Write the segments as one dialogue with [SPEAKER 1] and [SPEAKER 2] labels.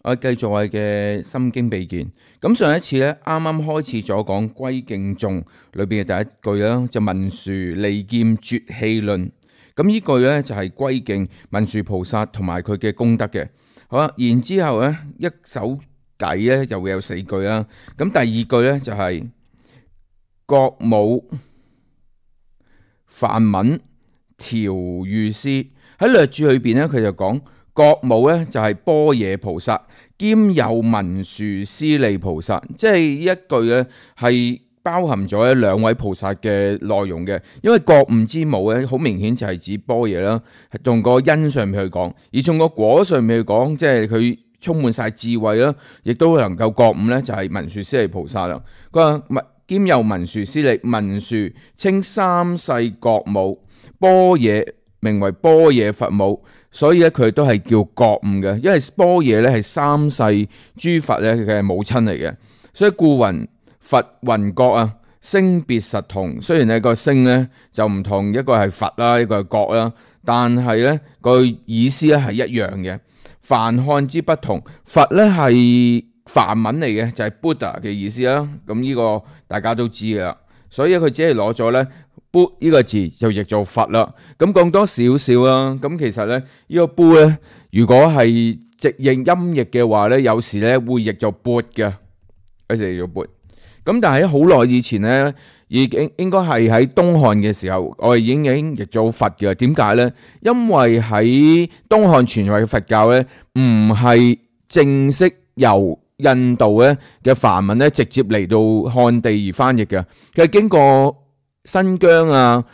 [SPEAKER 1] 我繼續我嘅心經秘見。咁上一次咧，啱啱開始咗講歸敬頌裏邊嘅第一句啦，就文殊利劍絕氣論。咁呢句咧就係歸敬文殊菩薩同埋佢嘅功德嘅。好啦，然之後咧一首偈咧又會有4句啦。咁第二句咧就係覺母梵文調御師，喺略注裏邊咧，佢就講覺母咧就係般若菩薩，兼有文殊師利菩薩，即係呢一句咧係包含咗兩位菩薩嘅內容嘅。因為覺悟之母咧，好明顯就係指般若啦，係從個因上面去講，而從個果上面去講，即係佢充滿晒智慧啦，亦都能夠覺悟咧，就係文殊師利菩薩啦。佢話兼有文殊師利，文殊稱三世覺母，般若名為般若佛母，所以咧佢都係叫覺悟嘅。因為般若咧係三世諸佛咧嘅母親嚟嘅，所以故云佛云覺啊，聲別實同。雖然呢個聲咧就唔同，一個係佛啦，一個係覺啦，但係咧個意思咧係一樣嘅。梵漢之不同，佛咧係梵文嚟嘅，就係 Buddha 嘅意思啦。咁呢個大家都知噶啦，所以佢只係攞咗咧 Bud 呢個字就譯做佛啦。咁講多少少啦。咁其實咧呢個 Bud 咧，如果係直譯音譯嘅話咧，有時咧會譯做缽嘅，有時譯做缽。咁但係喺好耐以前咧，已經應該係喺東漢嘅時候，我哋已經譯做佛嘅。點解咧？因為喺東漢傳入嘅佛教咧，唔係正式由印度咧嘅梵文咧直接嚟到漢地而翻譯嘅，佢係經過新疆啊、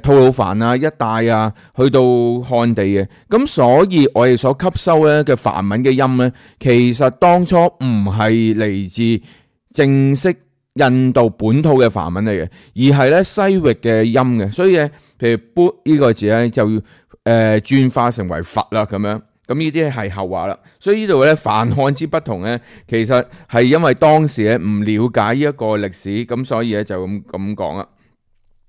[SPEAKER 1] 吐魯番啊一帶啊，去到漢地嘅。咁所以我哋所吸收咧嘅梵文嘅音咧，其實當初唔係嚟自正式印度本土嘅梵文嚟嘅，而係咧西域嘅音嘅。所以咧，譬如 Bud 呢個字咧，就要轉化成為佛啦咁樣。咁呢啲係後話啦。所以呢度咧梵漢之不同咧，其實係因為當時咧唔了解呢一個歷史，咁所以咧就咁講啦。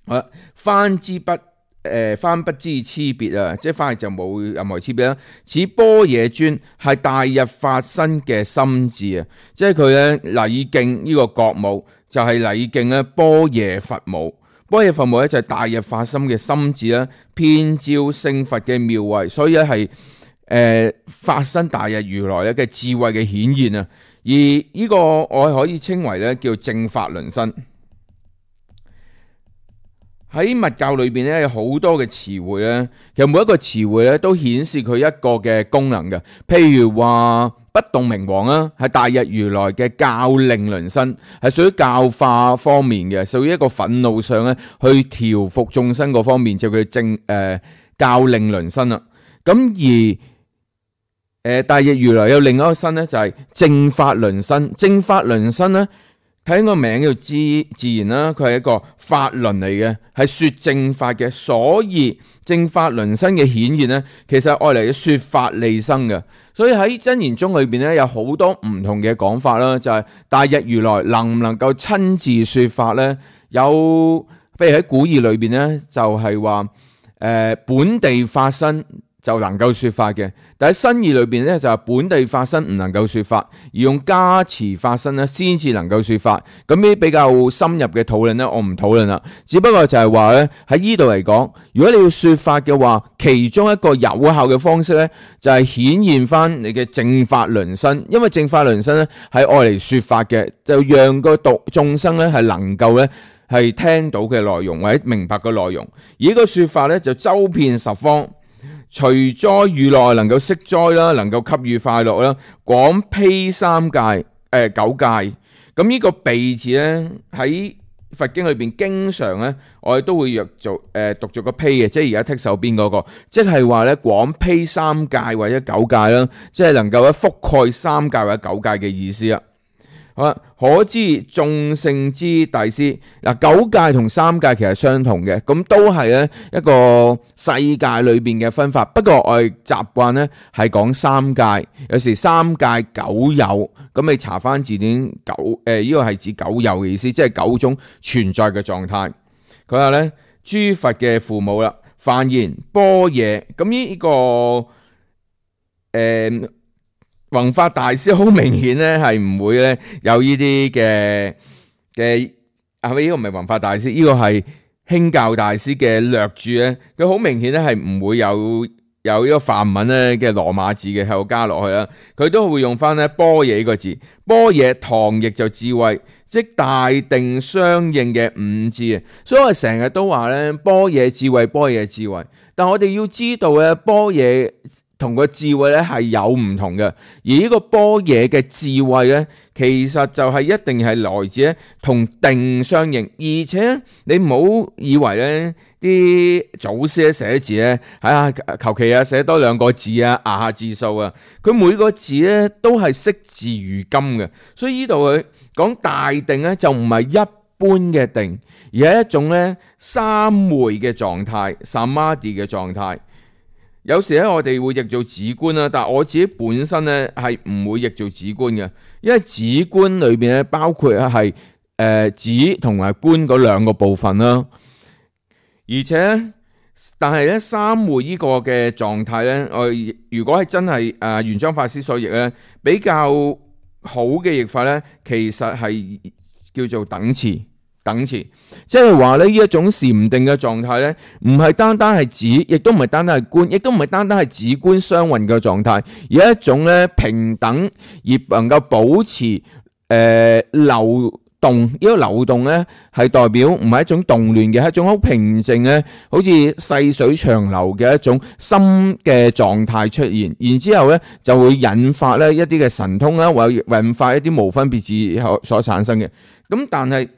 [SPEAKER 1] 好啦，翻不知差別啊，即係翻譯就冇任何差別啦。此般若尊係大日發生嘅心智啊，即係佢咧禮敬呢個覺母，就係禮敬咧般若佛母。般若佛母咧就係大日發生嘅心智啦，遍照聖佛嘅妙慧，所以咧係發生大日如來咧嘅智慧嘅顯現啊。而呢個我可以稱為咧叫正法輪身。喺密教裏邊咧有好多嘅詞彙咧，其實每一個詞彙咧都顯示佢一個嘅功能嘅。譬如話不動明王啊，係大日如來嘅教令輪身，係屬於教化方面嘅，屬於一個憤怒上咧去調伏眾生嗰方面，就叫教令輪身啦。咁而大日如來有另一個身咧，就係正法輪身。正法輪身咧，睇個名叫自然啦，佢係一個法輪嚟嘅，係說正法嘅。所以正法輪身嘅顯現咧，其實係愛嚟說法利生嘅。所以喺真言宗裏邊咧，有好多唔同嘅講法啦，就係大日如來能唔能夠親自說法咧？有譬如喺古義裏邊咧，就係話本地發生就能夠說法嘅，但喺新義裏邊咧就係本地發生唔能夠說法，而用加持發生咧先至能夠說法。咁呢啲比較深入嘅討論咧，我唔討論啦。只不過就係話咧喺呢度嚟講，如果你要說法嘅話，其中一個有效嘅方式咧就係顯現翻你嘅正法輪身，因為正法輪身咧係愛嚟說法嘅，就讓個眾生咧係能夠咧係聽到嘅內容或者明白嘅內容。而呢個說法咧就周遍十方。除災遇難能夠息災啦，能夠給予快樂啦，廣披三界九界。咁呢個鼻字咧喺佛經裏邊經常咧，我哋都會讀做個披嘅，即係而家剔手邊嗰個，即係話咧廣披三界或者九界啦，即係能夠咧覆蓋三界或者九界嘅意思啊。好啦，可知眾聖之大師嗱，九界同三界其實相同嘅，咁都係咧一個世界裏邊嘅分法。不過我哋習慣咧係講三界，有時三界九有，咁你查翻字典呢個係指九有嘅意思，即係九種存在嘅狀態。佢話咧諸佛嘅父母啦，梵言般若，咁呢個弘法大師好明顯咧係唔會咧有呢啲嘅係咪？呢個唔係弘法大師，呢個係興教大師嘅略注咧。佢好明顯咧係唔會有呢個梵文咧嘅羅馬字嘅喺度加落去啦。佢都會用翻咧般若呢個字。般若唐譯就智慧，即大定相應嘅五智啊。所以我成日都話咧般若智慧，般若智慧。但我哋要知道咧般若同個智慧咧係有唔同嘅，而呢個般若嘅智慧咧，其實就係一定係來自咧同定相應，而且你唔好以為咧啲祖師寫字咧，求其寫多兩個字啊，壓下字數啊，佢每個字咧都係惜字如金嘅，所以呢度佢講大定咧就唔係一般嘅定，而係一種咧三昧嘅狀態 ，samadhi 嘅狀態。有時咧，我哋會譯做止觀啦，但係我自己本身咧係唔會譯做止觀嘅，因為止觀裏邊咧包括係止同埋觀嗰兩個部分啦。而且，但係咧三昧呢個嘅狀態咧，我如果係真係玄奘法師所譯咧，比較好嘅譯法咧，其實係叫做等持。即係話咧呢一種禪定嘅狀態咧，唔係單單係止，亦都唔係單單係觀，亦都唔係單單係止觀雙運嘅狀態，而係一種咧平等而能夠保持流動。呢個流動咧係代表唔係一種動亂嘅，係一種好平靜咧，好似細水長流嘅一種心嘅狀態出現。然之後咧就會引發咧一啲嘅神通啦，或者引發一啲無分別智所產生嘅。咁但係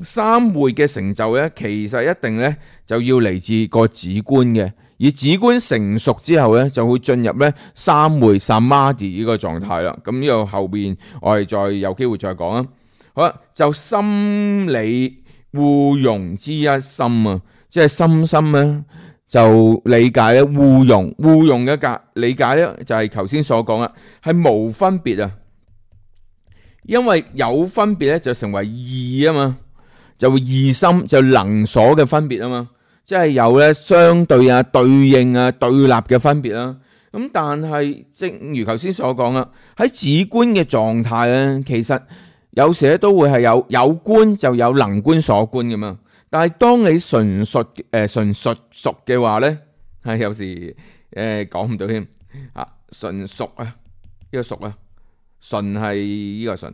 [SPEAKER 1] 三昧嘅成就咧，其實一定咧就要嚟自個止觀嘅，而止觀成熟之後咧，就會進入咧三昧 samadhi 呢個狀態啦。咁呢個後邊我哋再有機會再講啦。好啦，就心理互融之一心啊，即係心咧就理解咧互融嘅理解咧就係頭先所講啦，係無分別啊，因為有分別咧就成為異啊嘛。就會異心就能所嘅分別啊嘛，即係有咧相對啊、對應啊、對立嘅分別啦。咁但係正如頭先所講啦，喺止觀嘅狀態咧，其實有時咧都會係有觀就有能觀所觀噶嘛。但係當你純熟嘅話咧，係有時講唔到添啊，純熟啊，呢個熟啊，純係呢個純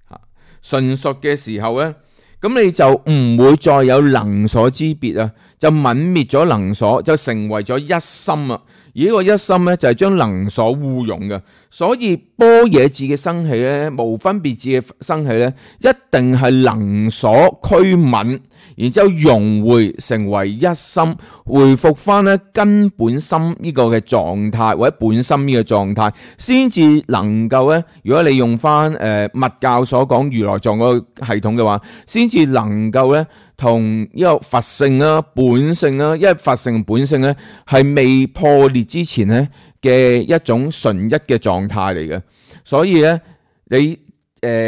[SPEAKER 1] 嚇，純熟嘅時候咧。咁你就唔會再有能所之別啊，就泯滅咗能所，就成為咗一心啊。而呢個一心咧就係將能所互融嘅，所以般若智嘅生起咧，無分別智嘅生起咧，一定係能所驅泯，然之後融匯成為一心，回復翻咧根本心呢個嘅狀態或者本心呢個狀態，先至能夠咧。如果你用翻密教所講如來藏嗰個系統嘅話，先至能夠咧。同呢個佛性啦、本性啦，因為佛性本性咧係未破裂之前咧嘅一種純一嘅狀態嚟嘅，所以咧你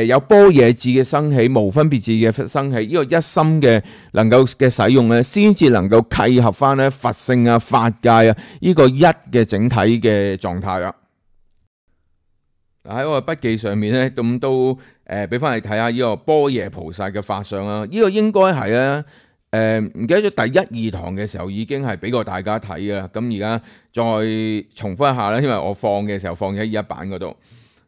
[SPEAKER 1] 有般若智嘅生起、無分別智嘅生起，呢個一心嘅能夠嘅使用咧，先至能夠契合翻咧佛性啊、法界啊呢個一嘅整體嘅狀態啦。喺我嘅筆記上面咧，咁都俾翻你睇下呢個般若菩薩嘅法相啦。呢個應該係咧唔記得咗第一二堂嘅時候已經係俾過大家睇嘅。咁而家再重複一下啦，因為我放嘅時候放喺一版嗰度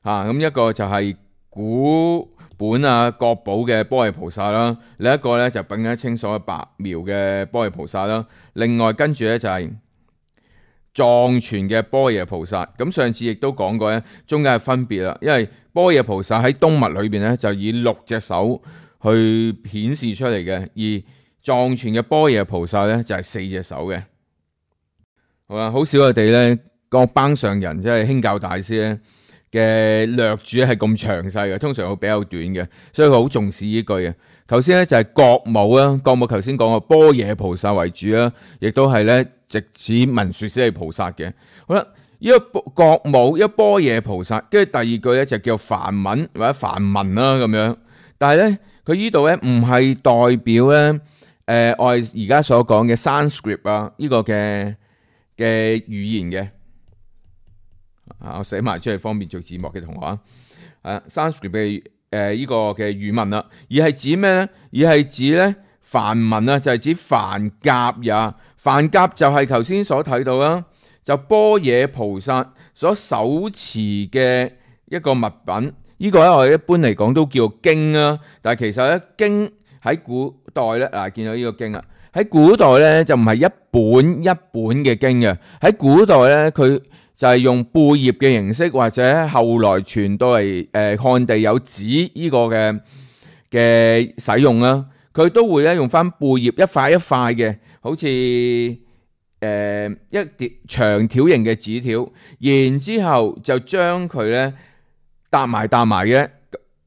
[SPEAKER 1] 嚇。咁一個就係古本啊國寶嘅般若菩薩啦，另一個咧就品一清所白描嘅般若菩薩啦。另外跟住咧就係藏傳嘅般若菩薩，咁上次亦都講過咧，中間係分別啦，因為般若菩薩喺東密裏邊咧就以6隻手去顯示出嚟嘅，而藏傳嘅般若菩薩咧就係4隻手嘅。好啦，好少我哋咧個班上人即係興教大師咧嘅略注係咁詳細嘅，通常會比較短嘅，所以佢好重視呢句嘅。頭先咧就係覺母啦，覺母頭先講過般若菩薩為主啦，亦都係咧直指文殊師利菩薩嘅。好啦，呢個覺母，一個般若菩薩，跟住第二句咧就叫梵文或者梵文啦咁樣。但係咧佢呢度咧唔係代表咧我哋而家所講嘅 Sanskrit 啊呢個嘅語言嘅我寫埋出嚟方便做字幕嘅同學啊。Sanskrit 嘅呢個嘅語文啦，而係指咩咧？而係指咧梵文啊，就係指梵甲也。梵甲就係頭先所睇到啦，就般若菩薩所手持嘅一個物品。呢個咧我哋一般嚟講都叫經啦，但係其實咧經喺古代咧見到呢個經啦，喺古代咧就唔係一本一本嘅經嘅，喺古代咧佢就係用貝葉嘅形式，或者後來傳到嚟漢地有紙呢個嘅使用啦，佢都會咧用翻貝葉一塊一塊嘅，好似一疊長條形嘅紙條，然之後就將佢咧搭埋嘅。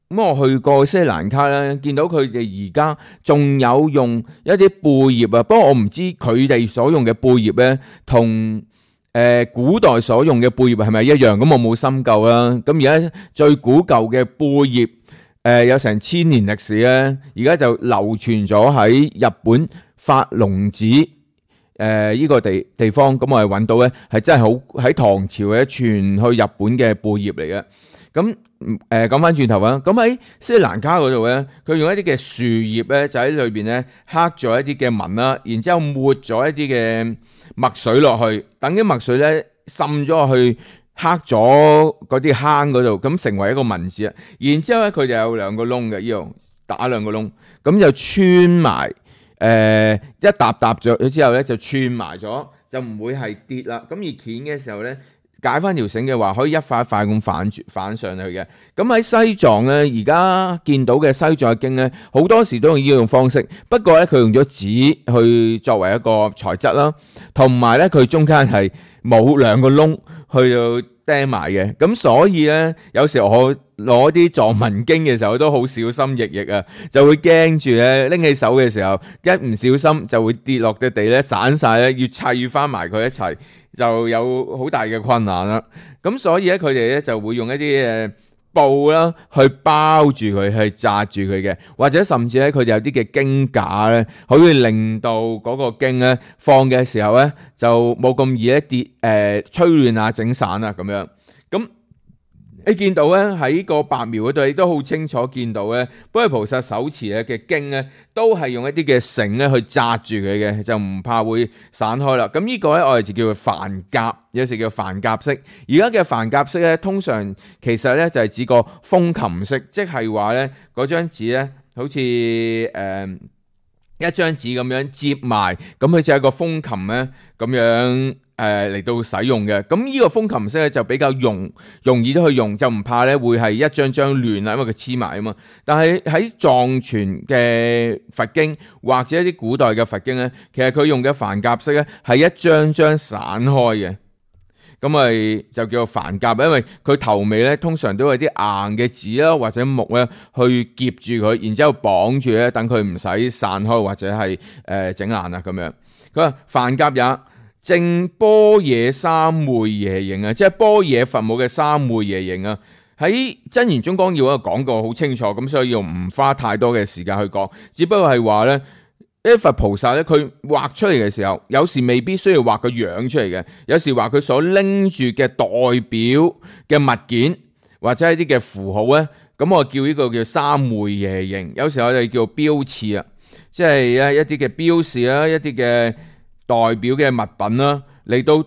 [SPEAKER 1] 咁我去過斯里蘭卡咧，見到佢哋而家仲有用一啲貝葉啊，不過我唔知佢哋所用嘅貝葉咧，同古代所用嘅貝葉係咪一樣？咁我冇深究啦。咁而家最古舊嘅貝葉，有成1000年歷史咧，而家就流傳咗喺日本法隆寺呢個地方。咁我哋揾到咧，係真係好喺唐朝嘅傳去日本嘅貝葉嚟嘅。咁講翻轉頭啊，咁喺斯里蘭卡嗰度咧，佢用一啲嘅樹葉咧，就喺裏邊咧刻咗一啲嘅紋啦，然之後抹咗一啲嘅墨水落去，等啲墨水咧滲咗落去刻咗嗰啲坑嗰度，咁成為一個文字啊。然之後咧，佢就有2個窿嘅，呢度打2個窿，咁就穿埋一搭咗之後咧就串埋咗，就唔會係跌啦。咁而鉗嘅時候咧，解翻條繩嘅話，可以一塊一塊咁反上去嘅。咁喺西藏咧，而家見到嘅西藏嘅經咧，好多時都用呢種方式。不過咧，佢用咗紙去作為一個材質啦，同埋咧佢中間係冇2個窿去到釘埋嘅。咁所以咧，有時我攞啲藏文經嘅時候都好小心翼翼啊，就會驚住咧拎起手嘅時候，一唔小心就會跌落嘅地咧散晒咧，要砌翻埋佢一齊，就有好大嘅困難啦。咁所以咧，佢哋咧就會用一啲布啦去包住佢，去紮住佢嘅，或者甚至咧佢哋有啲嘅經架咧，可以令到嗰個經咧放嘅時候咧就冇咁易一跌吹亂啊、整散啊咁樣。咁你見到咧喺個白描嗰度，你都好清楚見到咧，般若菩薩手持嘅經咧，都係用一啲嘅繩咧去紮住佢嘅，就唔怕會散開啦。咁呢個咧我哋就叫做梵甲，有時叫梵甲式。而家嘅梵甲式咧，通常其實咧就係指個風琴式，即係話咧嗰張紙咧好似一張紙咁樣接埋，咁佢就係個風琴咧咁樣嚟到使用嘅。咁呢個風琴式咧就比較容易都去用，就唔怕咧會係一張張亂啦，因為佢黐埋啊嘛。但係喺藏傳嘅佛經或者一啲古代嘅佛經咧，其實佢用嘅梵甲式咧係一張張散開嘅。咁咪就叫做梵甲，因為佢頭尾咧通常都有啲硬嘅紙啦，或者木咧去夾住佢，然之後綁住咧，等佢唔使散開或者係整爛啊咁樣。佢話梵甲也，正般若三昧耶形啊，即係般若佛母嘅三昧耶形啊。喺真言中光要講過好清楚，咁所以要唔花太多嘅時間去講，只不過係話咧。啲佛菩薩咧，佢畫出嚟嘅時候，有時未必需要畫個樣出嚟嘅，有時話佢所拎住嘅代表嘅物件或者一啲嘅符號咧，咁我叫呢個叫三昧耶形，有時我哋叫標誌啊，即係一啲嘅標示啦，一啲嘅代表嘅物品啦，嚟到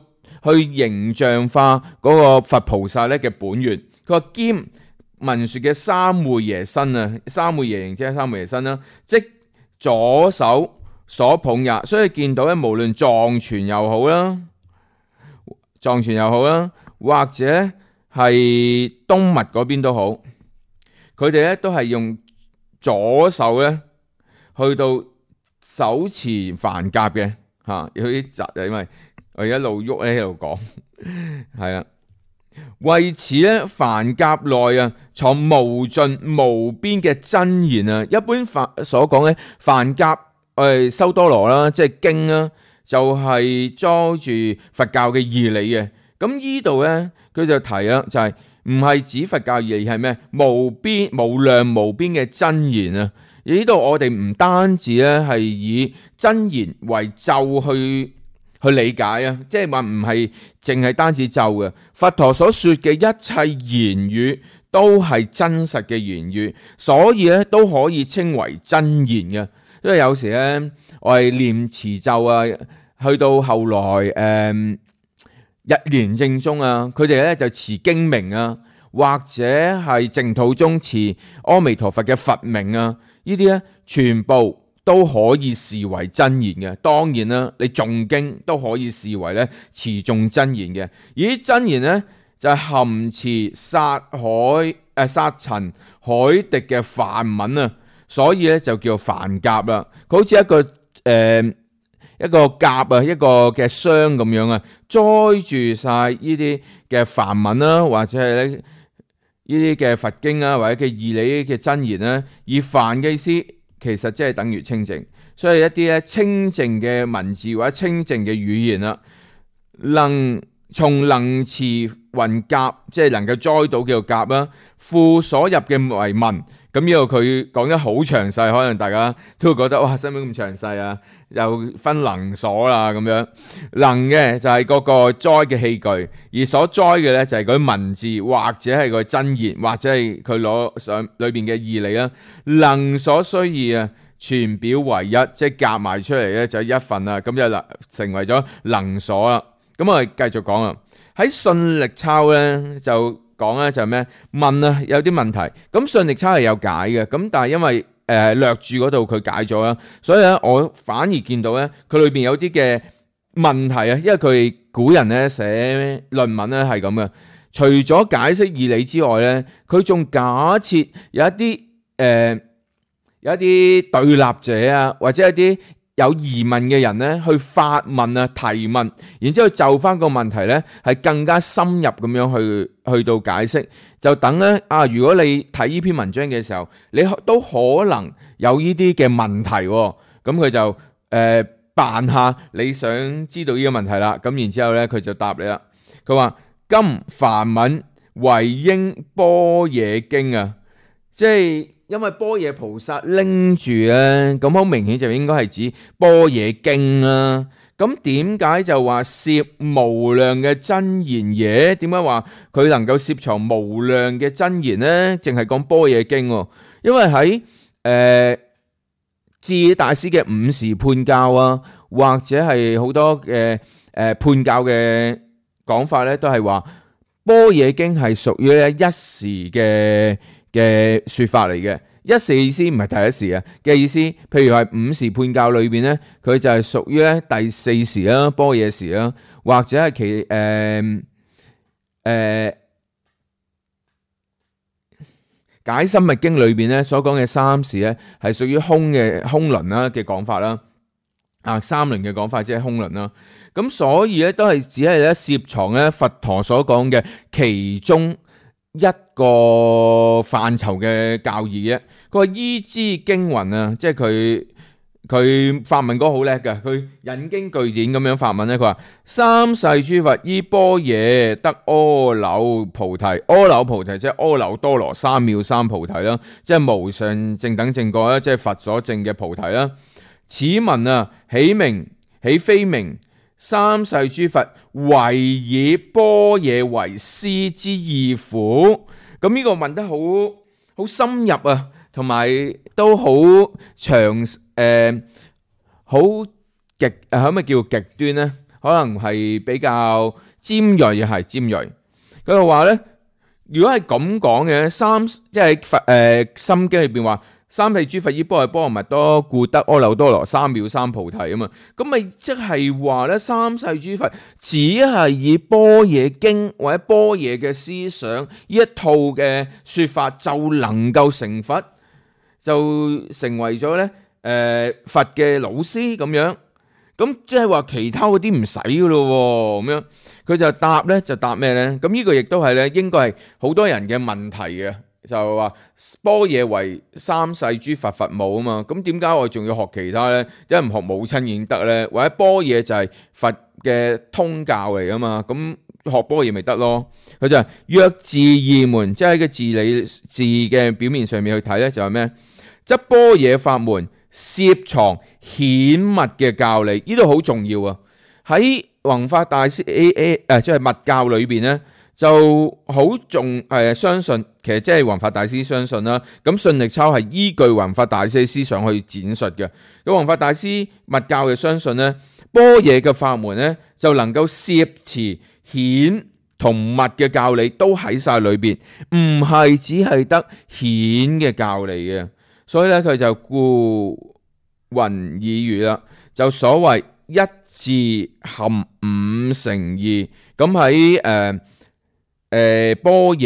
[SPEAKER 1] 去形象化嗰個佛菩薩咧嘅本源。佢話兼文說嘅三昧耶身啊，三昧耶形即係三昧耶身啦，即左手所捧也，所以見到咧，無論藏傳又好啦，或者係東密嗰邊都好，佢哋咧都係用左手咧去到手持梵甲嘅嚇，有啲窒，因為我一路喐咧喺度講，係啦。為此咧，梵甲內啊藏無盡無邊嘅真言啊！一般所講咧，梵甲修多羅啦，即係經啦，就係裝住佛教嘅義理嘅。咁呢度咧，佢就提啦，就係唔係指佛教義理，係咩？無邊無量無邊嘅真言啊！而呢度我哋唔單止咧係以真言為咒去去理解啊，即係話唔係淨係單止咒嘅，佛陀所說嘅一切言語都係真實嘅言語，所以咧都可以稱為真言嘅。因為有時咧我係念持咒啊，去到後來日蓮正宗啊，佢哋咧就持經名啊，或者係淨土宗持阿彌陀佛嘅佛名啊，呢啲咧全部都可以視為真言嘅。當然啦，你誦經都可以視為咧持誦真言嘅。而啲真言咧就係含持殺塵海滴嘅梵文啊，所以咧就叫梵甲啦。佢好似一個甲啊，一個嘅箱咁樣啊，載住晒呢啲嘅梵文啦，或者係咧呢啲嘅佛經啊，或者嘅義理嘅真言啦。而梵嘅意思其實即係等於清淨，所以一啲咧清淨嘅文字或者清淨嘅語言啦，從能持雲甲，即係能夠栽到叫做甲啦，附所入嘅為文。咁呢度佢講得好詳細，可能大家都會覺得哇，使唔使咁詳細啊？又分能所啦咁樣，能嘅就係嗰個栽嘅器具，而所栽嘅咧就係嗰啲文字或者係個真言，或者係佢攞上裏邊嘅義理啦。能所需要啊，全表為一，即係夾埋出嚟咧就一份啦，咁就成為咗能所啦。咁我哋繼續講啊，喺信力鈔咧就講咧就係咩？問啊有啲問題，咁信力鈔係有解嘅，咁但係因為略注嗰度佢解咗啦，所以咧我反而見到咧佢裏邊有啲嘅問題啊，因為佢古人咧寫論文咧係咁嘅，除咗解釋義理之外咧，佢仲假設有一啲對立者啊，或者一啲有疑問嘅人咧去發問啊提問，然之後就翻個問題咧係更加深入咁樣去到解釋，就等咧如果你睇呢篇文章嘅時候，你都可能有呢啲嘅問題，咁佢就扮下你想知道呢個問題啦，咁然之後咧佢就答你啦，佢話今梵文為應般若經啊，即係因為般若菩薩拎住咧，咁好明顯就應該係指般若經啊。咁點解就話攝無量嘅真言嘢？點解話佢能夠攝藏無量嘅真言呢？淨係講般若經，因為喺智大師嘅五時判教啊，或者係好多嘅判教嘅講法咧，都係話般若經係屬於咧一時嘅說法嚟嘅。一時意思唔係第一時啊嘅意思，譬如係五時判教裏邊咧，佢就係屬於咧第四時啦，般若時啦，或者係解深密經裏邊咧所講嘅三時咧，係屬於空輪啦嘅講法啦，三輪嘅講法即係空輪啦。咁所以咧都係只係咧攝藏咧佛陀所講嘅其中一個範疇嘅教義嘅。佢話依之經云啊，即係佢法文嗰個好叻嘅，佢引經據典咁樣法文咧。佢話三世諸佛依般若得阿耨菩提，阿耨菩提即係阿耨多羅三藐三菩提啦，即係無上正等正覺啦，即係佛所證嘅菩提啦。此文啊，起名起非名，三世諸佛唯以般若為師之意乎？咁呢個問得好深入啊，同埋都好長好極可唔可以叫極端呢？可能係比較尖銳，係尖銳。佢就話咧，如果係咁講嘅，即係佛心經裏邊話三世諸佛依般若波羅蜜多故得阿耨多羅三藐三菩提啊嘛，咁咪即係話咧，三世諸佛只係以般若經或者般若嘅思想呢一套嘅說法就能夠成佛，就成為咗咧佛嘅老師咁樣，咁即係話其他嗰啲唔使噶咯咁樣，佢就答咩咧？咁呢個亦都係咧，應該係好多人嘅問題嘅。就話般若為三世諸佛佛母啊嘛，咁點解我仲要學其他呢？因為唔學母親已經得呢？或者般若就係佛嘅通教嚟噶嘛，咁學般若咪得咯？佢就係若字義門，即係喺個字理字嘅表面上面去睇呢，就係咩？則般若法門攝藏顯密嘅教理，呢度好重要啊！喺弘法大師即係密教裏邊咧，就好重相信，其實即係弘法大師相信啦。咁信力抄係依據弘法大師嘅思想去展述嘅。咁弘法大師密教嘅相信咧，般若嘅法門咧就能夠攝持顯同密嘅教理都喺晒裏邊，唔係只係得顯嘅教理嘅。所以咧佢就故云爾語啦，就所謂一字含五成義。咁喺般若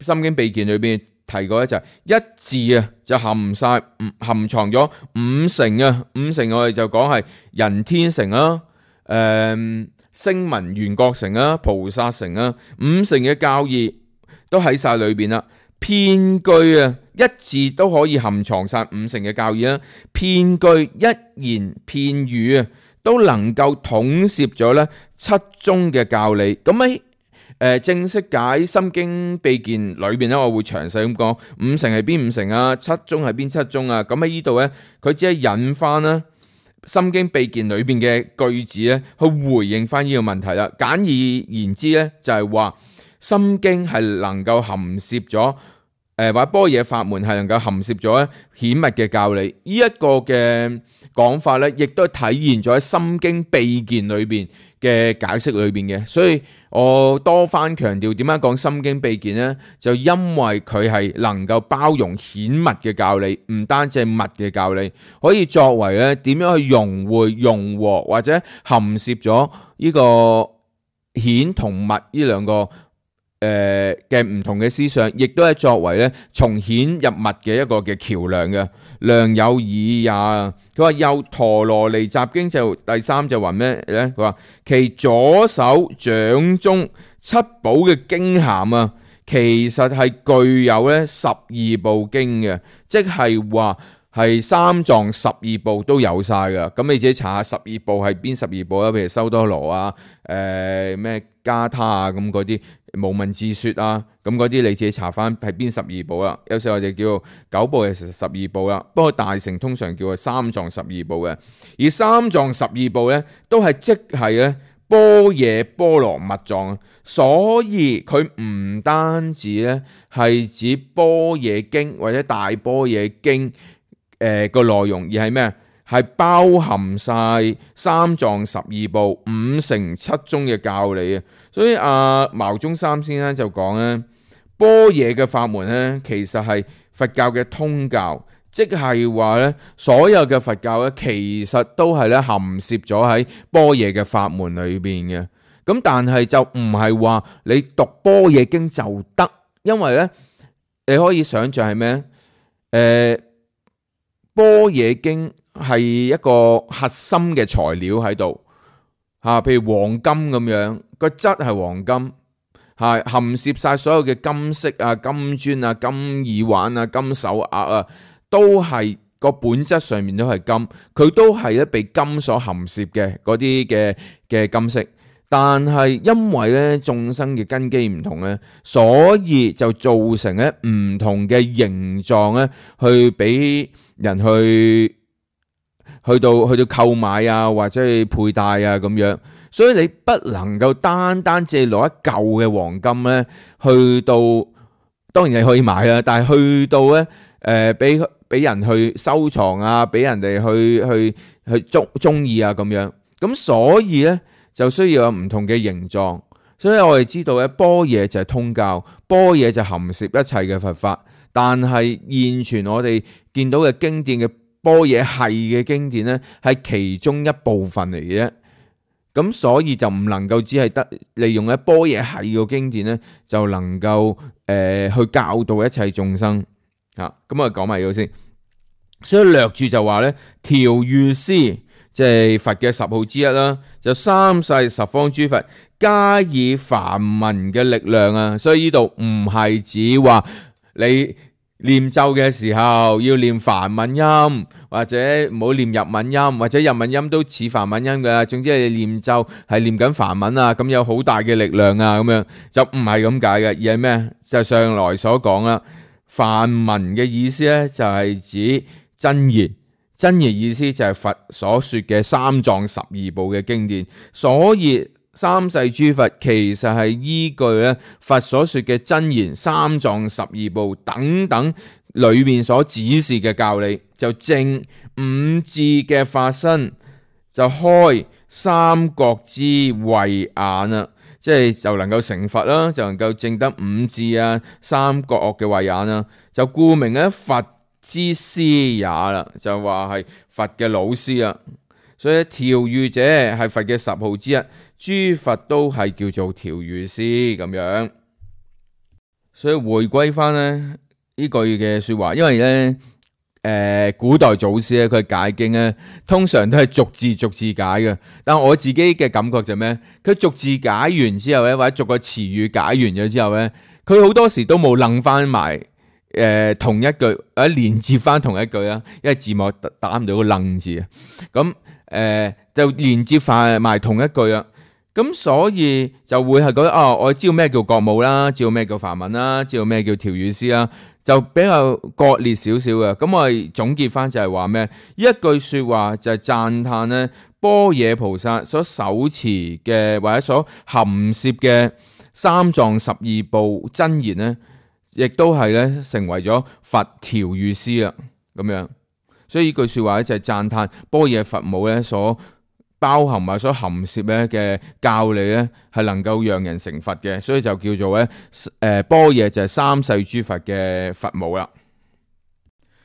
[SPEAKER 1] 心經秘鍵裏邊提過咧，就係一字啊就含藏咗五成啊。五成我哋就講係人天成啦，聲聞緣覺成啦，菩薩成啦，五成嘅教義都喺晒裏邊啦。遍句啊，一字都可以含藏晒五成嘅教義啦。遍句一言片語啊，都能夠統攝咗咧七宗嘅教理。咁喺正式解心經秘鍵裏邊咧，我會詳細咁講五成係邊五成啊，七宗係邊七宗啊。咁喺呢度咧，佢只係引翻啦心經秘鍵裏邊嘅句子咧，去回應翻呢個問題啦。簡而言之咧，就係話心經係能夠含攝咗或者般若法門係能夠含攝咗顯密嘅教理。呢一個嘅講法咧，亦都體現咗喺心經秘鍵裏邊嘅解釋裏邊嘅。所以我多番強調點解講心經秘鍵呢？就因為佢係能夠包容顯密嘅教理，唔單止係密嘅教理，可以作為咧點樣去融會融和或者含攝咗呢個顯同密呢兩個嘅唔同嘅思想，亦都係作為咧從顯入密嘅一個嘅橋樑嘅。良有耳也。佢話又陀羅尼集經就第三就話咩咧？佢話其左手掌中七寶嘅經函啊，其實係具有咧十二部經嘅，即係話係三藏十二部都有晒噶。咁你自己查下十二部係邊十二部啊？譬如修多羅啊，咩加他啊，咁嗰啲無文字說啊，咁嗰啲你自己查翻係邊十二部啦。有時我哋叫九部係十二部啦，不過大乘通常叫佢三藏十二部嘅。而三藏十二部咧，都係即係咧般若波羅蜜藏，所以佢唔單止咧係指般若經或者大般若經個內容，而係咩？係包含晒三藏十二部五乘七宗嘅教理啊！所以牟宗三先生就講咧，般若嘅法門咧，其實係佛教嘅通教，即係話咧，所有嘅佛教咧，其實都係咧含攝咗喺般若嘅法門裏邊嘅。咁但係就唔係話你讀般若經就得，因為咧你可以想象係咩？般若經係一個核心嘅材料喺度吓，譬如黃金咁樣，個質係黃金，係含攝晒所有嘅金色啊、金磚啊、金耳環啊、金手鐲啊，都係個本質上面都係金，佢都係咧被金所含攝嘅嗰啲嘅金色。但係因為咧眾生嘅根基唔同咧，所以就造成咧唔同嘅形狀咧，去俾人去到購買啊，或者去佩戴啊咁樣。所以你不能夠單單只係攞一嚿嘅黃金咧，去到當然你可以買啦，但係去到咧俾人去收藏啊，俾人哋去中意啊咁樣。咁所以咧就需要有唔同嘅形狀。所以我哋知道咧，般若就係通教，般若就含攝一切嘅佛法。但係現存我哋見到嘅經典嘅般若系嘅經典咧，係其中一部分嚟嘅啫。咁所以就唔能夠只係得利用咧般若系嘅經典咧，就能夠去教導一切眾生啊。咁我講埋呢個先。所以略注就話咧，調御師即係佛嘅十號之一啦，就三世十方諸佛加以梵文嘅力量啊。所以呢度唔係指話你念咒嘅時候要念梵文音，或者唔好念日文音，或者日文音都似梵文音嘅。總之你念咒係念緊梵文啊，咁有好大嘅力量啊，咁樣就唔係咁解嘅，而係咩？就上來所講啦，梵文嘅意思咧就係指真言，真言意思就係佛所說嘅三藏十二部嘅經典，所以三世諸佛其實係依據咧佛所說嘅真言、三藏十二部等等裏面所指示嘅教理，就證五智嘅發生，就開三覺之慧眼啦，即係就能夠成佛啦，就能夠證得五智啊、三覺嘅慧眼啦，就顧名咧佛之師也啦，就話係佛嘅老師啊。所以調御者係佛嘅十號之一，諸佛都係叫做調御師咁樣。所以回歸翻咧呢句嘅說話，因為咧古代祖師咧佢解經咧通常都係逐字解嘅，但我自己嘅感覺就咩？佢逐字解完之後咧，或者逐個詞語解完咗之後咧，佢好多時都冇楞翻埋同一句或者連接翻同一句啦，因為字幕打唔到個楞字啊。咁就連接埋同一句啦，咁所以就會係覺得我知道咩叫覺悟啦，知道咩叫梵文啦，知道咩叫調御師啦，就比較割裂少少嘅。咁我哋總結翻就係話咩？一句說話就係讚歎咧般若菩薩所手持嘅或者所含攝嘅三藏十二部真言咧，亦都係咧成為咗佛調御師啦，咁樣。所以呢句說話咧就係讚歎般若佛母咧所包含或所含攝咧嘅教理咧係能夠讓人成佛嘅，所以就叫做咧般若就係三世諸佛嘅佛母啦。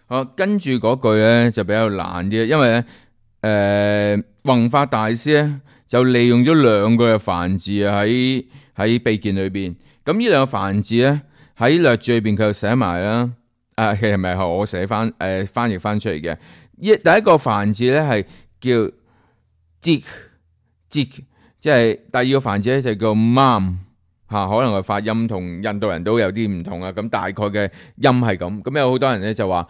[SPEAKER 1] 好，跟住嗰句咧就比較難啲，因為咧弘法大師咧就利用咗兩個嘅梵字喺秘見裏邊。咁呢兩個梵字咧喺略注裏邊佢就寫埋啦。其實唔係我寫翻翻譯翻出嚟嘅。第一個梵字咧係叫即，即係第二個梵字咧就叫 mam 可能個發音同印度人都有啲唔同啊。咁大概嘅音係咁。咁有好多人咧就話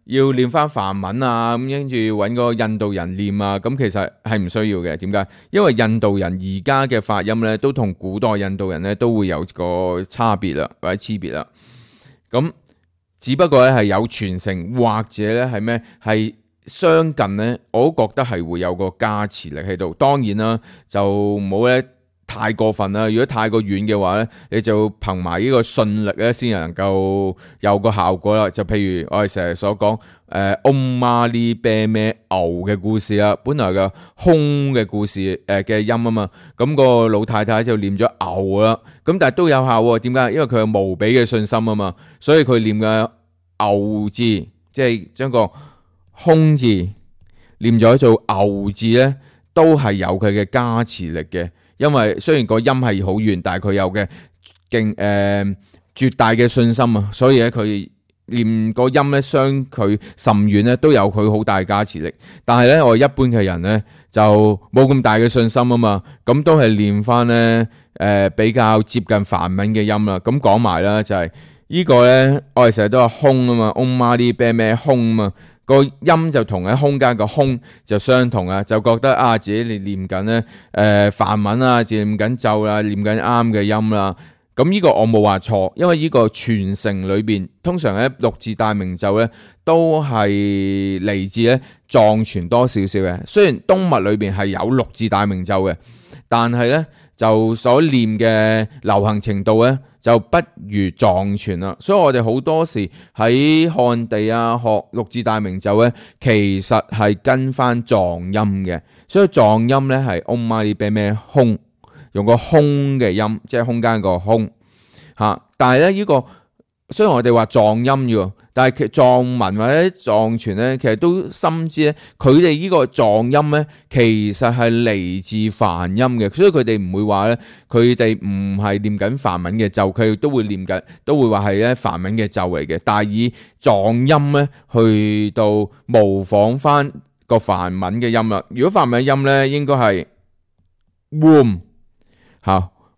[SPEAKER 1] 要念翻梵文啊，咁跟住揾個印度人念啊。咁其實係唔需要嘅。點解？因為印度人而家嘅發音咧都同古代印度人咧都會有個差別啦，或者差別啦。咁只不過咧係有傳承，或者咧係咩係相近咧，我都覺得係會有個加持力喺度。當然啦，就唔好咧太過分啦。如果太過遠嘅話咧，你就憑埋呢個信力咧先能夠有個效果啦。就譬如我哋成日所講Om Mani Padme 牛嘅故事啦，本來嘅空嘅故事嘅音啊嘛，咁個老太太就念咗牛啦，咁但係都有效喎。點解？因為佢有無比嘅信心啊嘛，所以佢念嘅牛字，即係將個空字念咗做牛字咧，都係有佢嘅加持力嘅。因為雖然個音係好遠，但係佢有嘅絕大嘅信心啊，所以咧佢念個音咧相距甚遠咧，都有佢好大加持力。但係咧，我一般嘅人咧就冇咁大嘅信心啊嘛，咁都係念翻咧比較接近梵文嘅音啦。咁講埋啦，就係呢個咧，我哋成日都話空啊嘛，Om Mani Padme空啊嘛。個音就同喺空間個空就相同啊，就覺得自己念緊咧梵文啊，自己念緊咒啦，念緊啱嘅音啦。咁呢個我冇話錯，因為呢個傳承裏邊通常咧六字大明咒咧都係嚟自咧藏傳多少少嘅。雖然東密裏邊係有六字大明咒嘅，但係咧就所念嘅流行程度咧就不如藏傳啦。所以我哋好多時喺漢地學六字大明咒咧，其實係跟翻藏音嘅。所以藏音咧係 Om Mani Padme 空，用個空嘅音，即係空間個空但係咧呢個雖然我哋話藏音嘅，但係藏文或者藏傳咧，其實都深知咧，佢哋呢個藏音咧，其實係嚟自梵音嘅，所以佢哋唔會話咧，佢哋唔係念緊梵文嘅咒，佢都會念緊，都會話係咧梵文嘅咒嚟嘅，但係以藏音咧去到模仿翻個梵文嘅音啦。如果梵文音咧，應該係 womb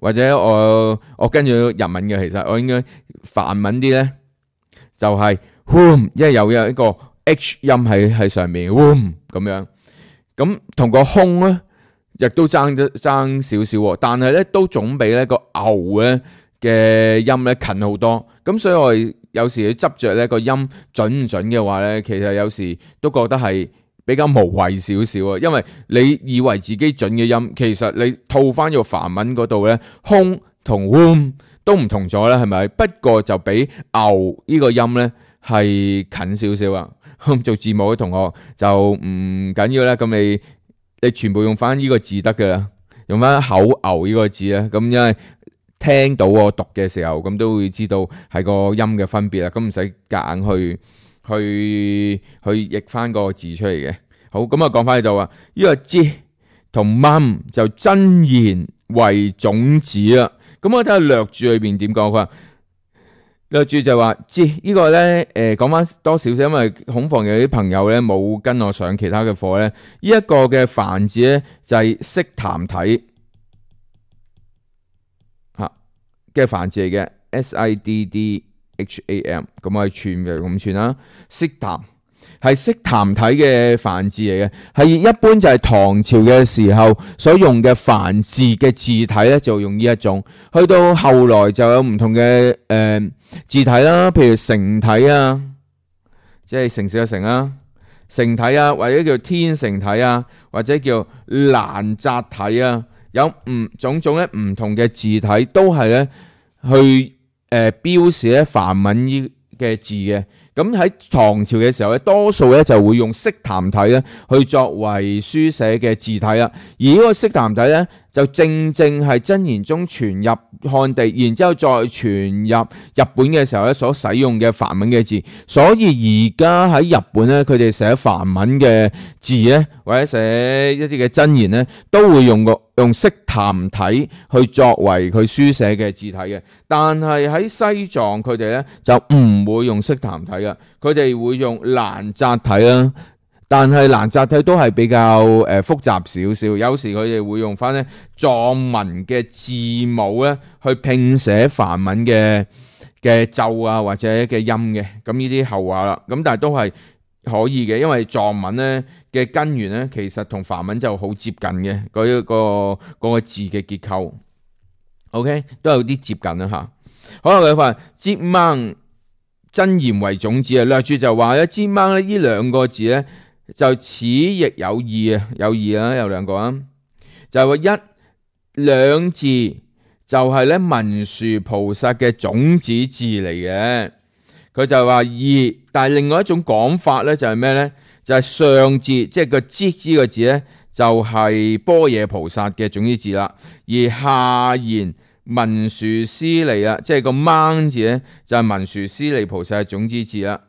[SPEAKER 1] 或者我跟住日文嘅，其實我應該梵文啲咧就係 womb， 因為有一個 H 音喺上面 womb 咁樣，咁同個空咧亦都爭少少，但係咧都總比咧個牛咧嘅音咧近好多。咁所以我哋有時你執着呢個音準唔準嘅話呢，其實有時都覺得係比較無謂少少啊。因為你以為自己準嘅音，其實你套翻個梵文嗰度呢，空同 wom 都唔同咗啦，係咪？不過就比牛呢個音呢係近少少啊。做字母嘅同學就唔緊要啦，咁你全部用翻呢個字得噶啦，用翻口牛呢個字啦，咁因為聽到我讀嘅時候，咁都會知道係個音嘅分別啦，咁唔使夾硬去譯翻個字出嚟嘅。好，咁啊講翻喺度啊，呢個字同 mum 就真言為種子啦。咁我睇下略注裏邊點講，佢話略注就話字呢個咧，講翻多少少，因為恐防有啲朋友咧冇跟我上其他嘅課咧，呢一個嘅梵字咧就係悉檀體嘅梵字嚟嘅 SIDDHAM， 咁我係串嘅咁串啦，悉檀係悉檀體嘅梵字嚟嘅，係一般就係唐朝嘅時候所用嘅梵字嘅字體咧，就用呢一種。去到後來就有唔同嘅字體啦，譬如成體啊，即係城市嘅城啊，成體啊，或者叫天成體啊，或者叫蘭澤體啊，有種種咧唔同嘅字體，都係咧去標示咧梵文呢嘅字嘅。咁喺唐朝嘅時候咧，多數咧就會用悉檀體咧去作為書寫嘅字體啦。而呢個悉檀體咧，就正係真言宗傳入漢地，然之後再傳入日本嘅時候咧所使用嘅梵文嘅字。所以而家喺日本咧，佢哋寫梵文嘅字咧，或者寫一啲嘅真言咧，都會用悉檀體去作為佢書寫嘅字體嘅。但係喺西藏佢哋咧就唔會用悉檀體嘅，佢哋會用蘭澤體啦。但係蘭澤體都係比較複雜少少，有時佢哋會用翻咧藏文嘅字母咧去拼寫梵文嘅咒啊或者嘅音嘅，咁呢啲後話啦。咁但係都係可以嘅，因為藏文咧嘅根源咧其實同梵文就好接近嘅，嗰個字嘅結構。OK， 都有啲接近啦吓。好啦，佢話接掹真言為種子啊，略注就話咧接掹咧呢兩個字咧。就此亦有義啊，有義啊，有兩個啊，就係話一兩字就係咧文殊菩薩嘅種子字嚟嘅。佢就話二，但係另外一種講法咧就係咩咧？就係上字，即係個之呢個字咧，就係般若菩薩嘅種子字啦。而下言文殊師利啊，即係個掹字咧，就係文殊師利菩薩嘅種子字啦。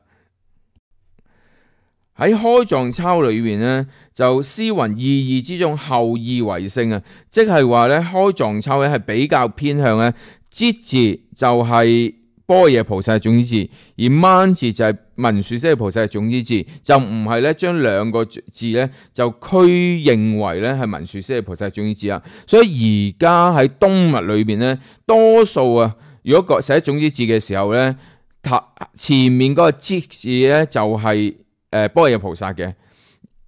[SPEAKER 1] 喺開藏抄裏邊咧，就詩云意義之中後意為勝啊，即係話咧開藏抄咧係比較偏向咧之字就係般若菩薩嘅種子字，而掹字就係文殊師利菩薩嘅種子字，就唔係咧將兩個字咧就區認為咧係文殊師利菩薩嘅種子字啊。所以而家喺東密裏邊咧，多數啊，如果寫種子字嘅時候咧，前面嗰個之字咧就係般若菩薩嘅，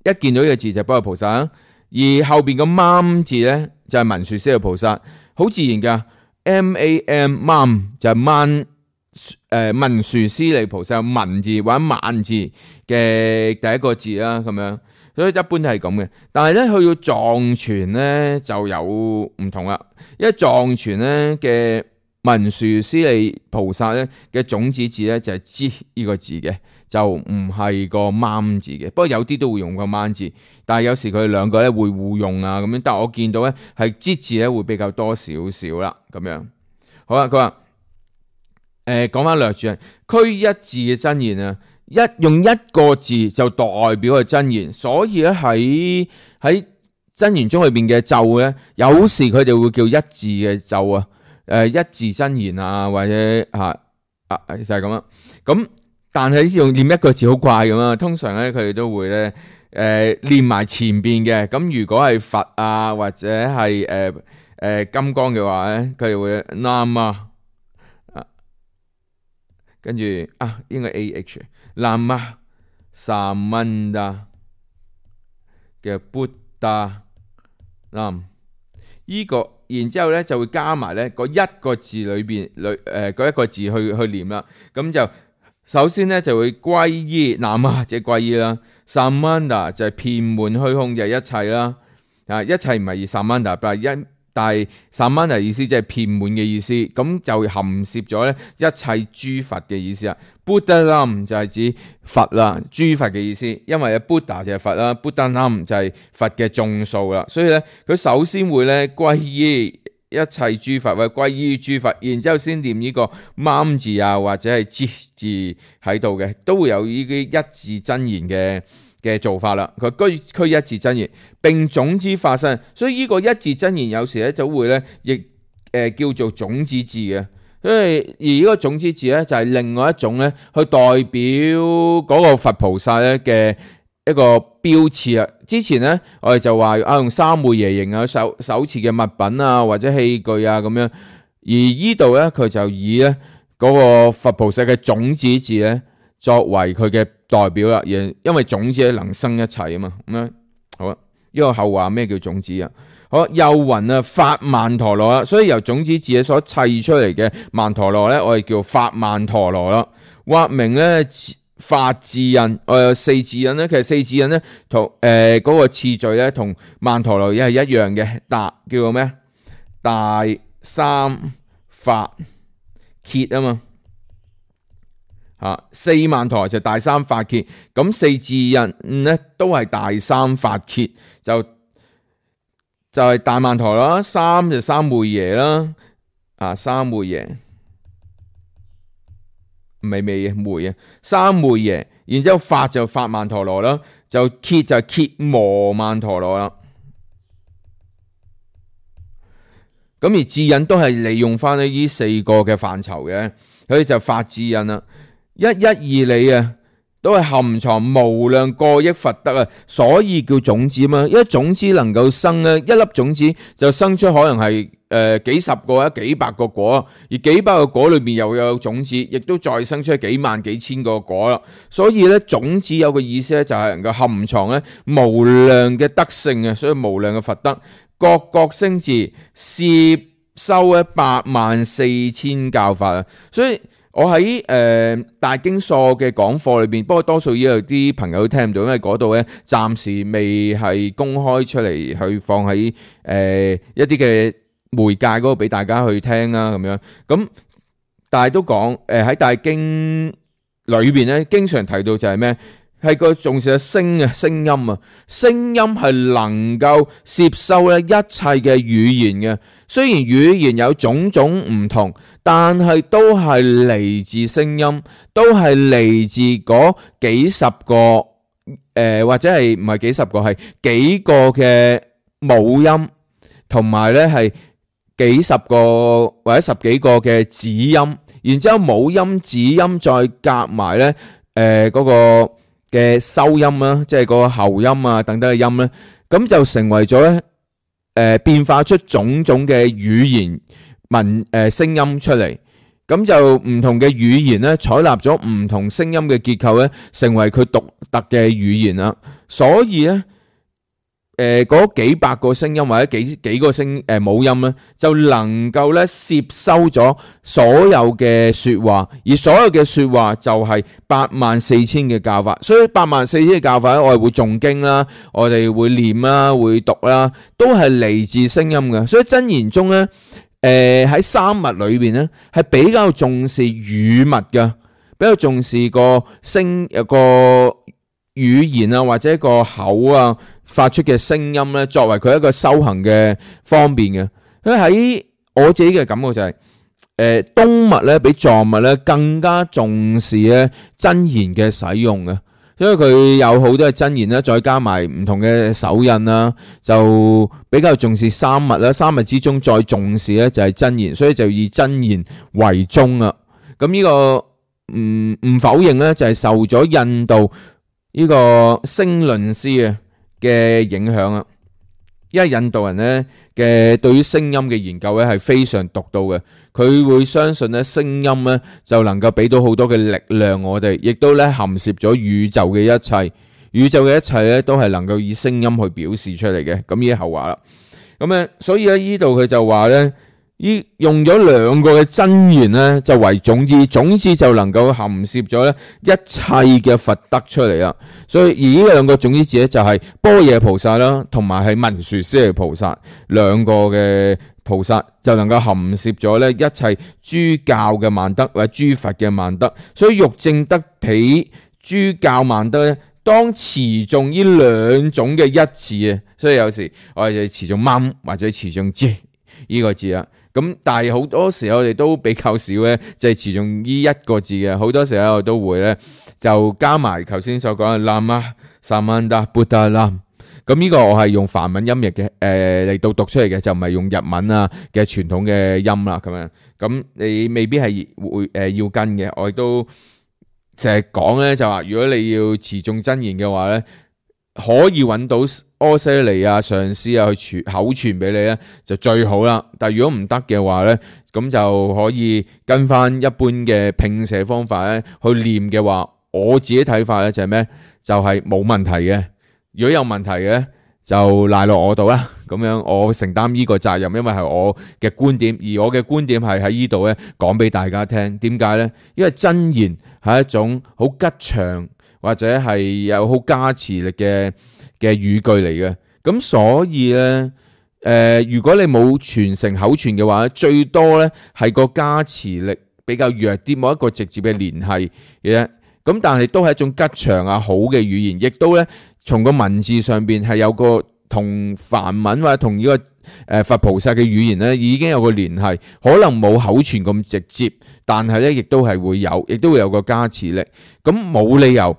[SPEAKER 1] 一見到呢個字就係般若菩薩，而後邊個掹字咧就係文殊師利菩薩，好自然噶。MAM 掹就係掹文殊師利菩薩文字或者萬字嘅第一個字啦，咁樣，所以一般都係咁嘅。但係咧去到藏傳咧就有唔同啦，因為藏傳咧嘅文殊師利菩薩咧嘅種子字咧就係知呢個字嘅。就唔係個掹字嘅，不過有啲都會用個掹字，但係有時佢哋兩個咧會互用啊咁樣。但係我見到咧係之字咧會比較多少少啦咁樣。好啦，佢話講翻略注，區一字嘅真言啊，用一個字就代表係真言，所以咧喺真言宗裏邊嘅咒咧，有時佢哋會叫一字嘅咒啊，一字真言啊，或者就係咁啦，咁。但係用念一個字好怪咁啊，通常咧佢哋都會咧念埋前邊嘅。咁如果係佛啊或者係金剛嘅話咧，佢哋會 Nam 啊，跟住應該 AH Nam 啊 Samanda 嘅 Buddha Nam 依個，然之後咧就會加埋咧嗰一個字裏邊嗰一個字去念啦，咁就。首先咧就會歸依，南無即係歸依啦。Samanta 就係遍滿虛空，就係一切啦。一切唔係Samanta，但係Samanta意思即係遍滿嘅意思，咁就含攝咗咧一切諸佛嘅意思啊。Buddhalam 就係指佛啦，諸佛嘅意思，因為Buddha 就係佛啦，Buddhalam就係佛嘅眾數啦，所以咧佢首先會咧歸依一切諸佛，或者歸依諸佛，然之後先念呢個mam字啊，或者係字喺度嘅，都會有呢啲一字真言嘅做法啦。佢區一字真言並種子發生，所以呢個一字真言有時咧就會咧亦叫做種子字嘅。而呢個種子字咧就係另外一種咧去代表嗰個佛菩薩咧嘅一個標誌啊。之前咧我哋就話用三昧耶形啊手持嘅物品啊或者器具啊咁樣，而呢度咧佢就以咧嗰個佛菩薩嘅種子字咧作為佢嘅代表啦，因為種子能生一切啊嘛。咁樣好啊，呢個後話咩叫種子啊？好，又云啊法曼陀羅啦，所以由種子字所砌出嚟嘅曼陀羅咧，我哋叫法曼陀羅啦。或名咧法智印，我有四智印咧，其實四智印咧同嗰個次序咧同曼陀羅係一樣嘅，叫做咩？大三法羯啊嘛。四曼陀羅就大三法羯，咁四智印咧都係大三法羯，就係大曼陀羅啦，三就三昧耶啦，三昧耶，唔係昧嘅昧啊，三昧耶，然之後法就法曼陀羅啦，就羯就羯磨曼陀羅啦。咁而智印都係利用翻呢四個嘅範疇嘅，所以就法智印啦。一一二理啊，都係含藏無量過億佛德啊，所以叫種子嘛。一種子能夠生咧，一粒種子就生出可能係幾十個或者幾百個果，而幾百個果裏面又有種子，亦都再生出幾萬幾千個果啦。所以咧，種子有個意思咧，就係能夠含藏咧無量嘅德性啊，所以無量嘅佛德，各各聲字攝收咧84000教法啊，所以。我喺大經疏嘅講課裏邊，不過多數有啲朋友都聽唔到，因為嗰度咧暫時未係公開出嚟，去放喺一啲嘅媒介嗰度俾大家去聽啦咁樣。咁但係都講喺大經裏邊咧，經常提到就係咩？係個重視嘅聲音啊，聲音係能夠攝收咧一切嘅語言嘅。雖然語言有種種唔同，但係都係嚟自聲音，都係嚟自嗰幾十個或者係唔係幾十個，係幾個嘅母音，同埋咧係幾十個或者十幾個嘅子音，然之後母音子音再夾埋咧嗰個嘅收音啦，即係嗰個喉音啊等等嘅音咧，咁就成為咗咧。變化出種種嘅語言聲音出嚟，咁就唔同嘅語言咧，採納咗唔同聲音嘅結構咧，成為佢獨特嘅語言啦。所以咧，嗰幾百個聲音或者幾個母音咧，就能夠咧攝收咗所有嘅說話，而所有嘅說話就係84000嘅教法。所以84000嘅教法咧，我哋會誦經啦，我哋會念啦，會讀啦，都係嚟自聲音嘅。所以真言中咧，喺三密裏邊咧，係比較重視語密嘅，比較重視個語言啊，或者一個口啊發出嘅聲音咧，作為佢一個修行嘅方便嘅。因為喺我自己嘅感覺就係，東密咧比藏密咧更加重視咧真言嘅使用嘅，因為佢有好多嘅真言啦，再加埋唔同嘅手印啦，就比較重視三密啦。三密之中再重視咧就係真言，所以就以真言為宗啊。咁呢個唔否認咧，就係受咗印度呢個聲論師嘅影響啊，因為印度人咧嘅對於聲音嘅研究咧係非常獨到嘅，佢會相信咧聲音咧就能夠俾到好多嘅力量我哋，亦都咧含攝咗宇宙嘅一切，宇宙嘅一切咧都係能夠以聲音去表示出嚟嘅。咁呢後話啦，咁所以咧呢度佢就話咧用咗兩個嘅真言咧，就為種子，種子就能夠含攝咗咧一切嘅佛德出嚟啦。所以而呢兩個種子字咧，就係般若菩薩啦，同埋係文殊師利菩薩兩個嘅菩薩，就能夠含攝咗咧一切諸教嘅萬德或者諸佛嘅萬德。所以欲證得彼諸教萬德咧，當持誦呢兩種嘅一字啊。所以有時我哋持誦蚊或者持誦字呢個字啊。咁但係好多時候我哋都比較少咧，就係持誦呢一個字嘅。好多時候我都會咧就加埋頭先所講嘅南無薩曼達布達南。咁呢個我係用梵文音譯嘅嚟到讀出嚟嘅，就唔係用日文啊嘅傳統嘅音啦咁樣。咁你未必係會要跟嘅。我亦都成日講咧，就話如果你要持誦真言嘅話咧，可以揾到阿闍黎啊上師啊去口傳俾你咧，就最好啦。但係如果唔得嘅話咧，咁就可以跟翻一般嘅拼寫方法咧去念嘅話，我自己睇法咧就係咩？就係冇問題嘅。如果有問題嘅就賴落我度啦。咁樣我承擔呢個責任，因為係我嘅觀點，而我嘅觀點係喺呢度咧講俾大家聽。點解咧？因為真言係一種好吉祥，或者係有好加持力嘅語句嚟嘅，咁所以咧，如果你冇傳承口傳嘅話，最多咧係個加持力比較弱啲，冇一個直接嘅聯繫嘅。咁但係都係一種吉祥啊，好嘅語言，亦都咧從個文字上邊係有個同梵文或者同呢個佛菩薩嘅語言咧已經有個聯繫，可能冇口傳咁直接，但係咧亦都係會有，亦都會有個加持力。咁冇理由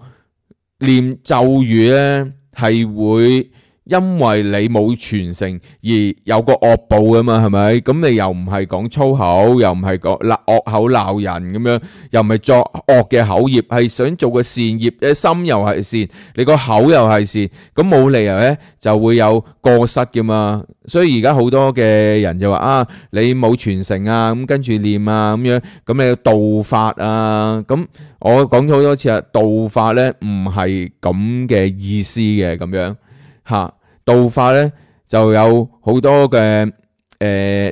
[SPEAKER 1] 念咒語咧係會因為你冇傳承而有個惡報噶嘛，係咪？咁你又唔係講粗口，又唔係講惡口鬧人咁樣，又唔係作惡嘅口業，係想做個善業，你心又係善，你個口又係善，咁冇理由咧就會有過失噶嘛。所以而家好多嘅人就話啊，你冇傳承啊，咁跟住念啊咁樣，咁你要道法啊，咁我講咗好多次啊，道法咧唔係咁嘅意思嘅，咁樣吓。道法咧就有好多嘅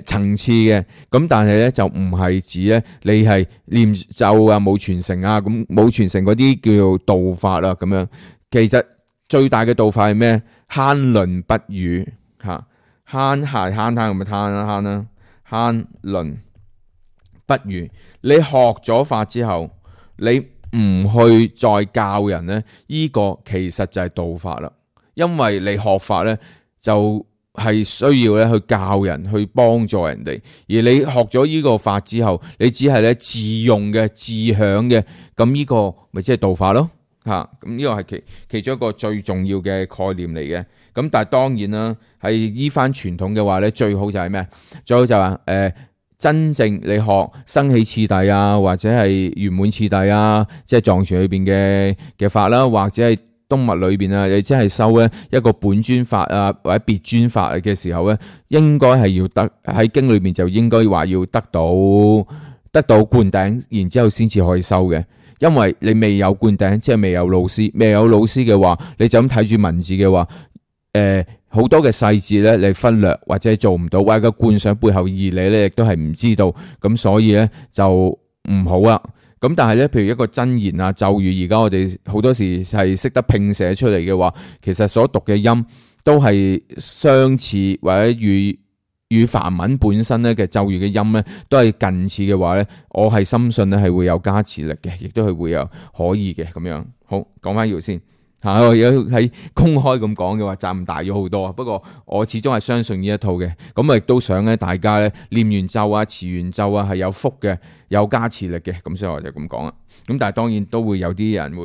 [SPEAKER 1] 層次嘅，咁但係咧就唔係指咧你係念咒啊冇傳承啊，咁冇傳承嗰啲叫做道法啦咁樣。其實最大嘅道法係咩？慳吝不語吓，慳係慳咁咪慳啦慳啦，慳吝不語。你學咗法之後，你唔去再教人咧，呢個其實就係道法啦。因為你學法咧，就係需要咧去教人，去幫助人哋。而你學咗呢個法之後，你只係咧自用嘅、自享嘅，咁呢個咪即係道法咯嚇。咁呢個係其中一個最重要嘅概念嚟嘅。咁但係當然啦，係依翻傳統嘅話咧，最好就係咩？最好就話真正你學生起次第啊，或者係圓滿次第啊，即係藏傳裏邊嘅法啦，或者係東密裏邊啊，你真係收咧一個本尊法啊，或者別尊法嘅時候咧，應該係要得喺經裏邊就應該話要得到灌頂，然之後先至可以收嘅。因為你未有灌頂，即係未有老師，未有老師嘅話，你就咁睇住文字嘅話，好多嘅細節咧你忽略或者做唔到，或者個觀想背後義理咧亦都係唔知道，咁所以咧就唔好啦。咁但係咧，譬如一個真言啊、咒語，而家我哋好多時係識得拼寫出嚟嘅話，其實所讀嘅音都係相似，或者與梵文本身咧嘅咒語嘅音咧都係近似嘅話咧，我係深信咧係會有加持力嘅，亦都係會有可以嘅咁樣。好，講翻呢度先嚇，我而家喺公開咁講嘅話，責任大咗好多。不過我始終係相信呢一套嘅，咁我亦都想咧大家咧念完咒啊、持完咒啊係有福嘅、有加持力嘅，咁所以我就咁講啦。咁但係當然都會有啲人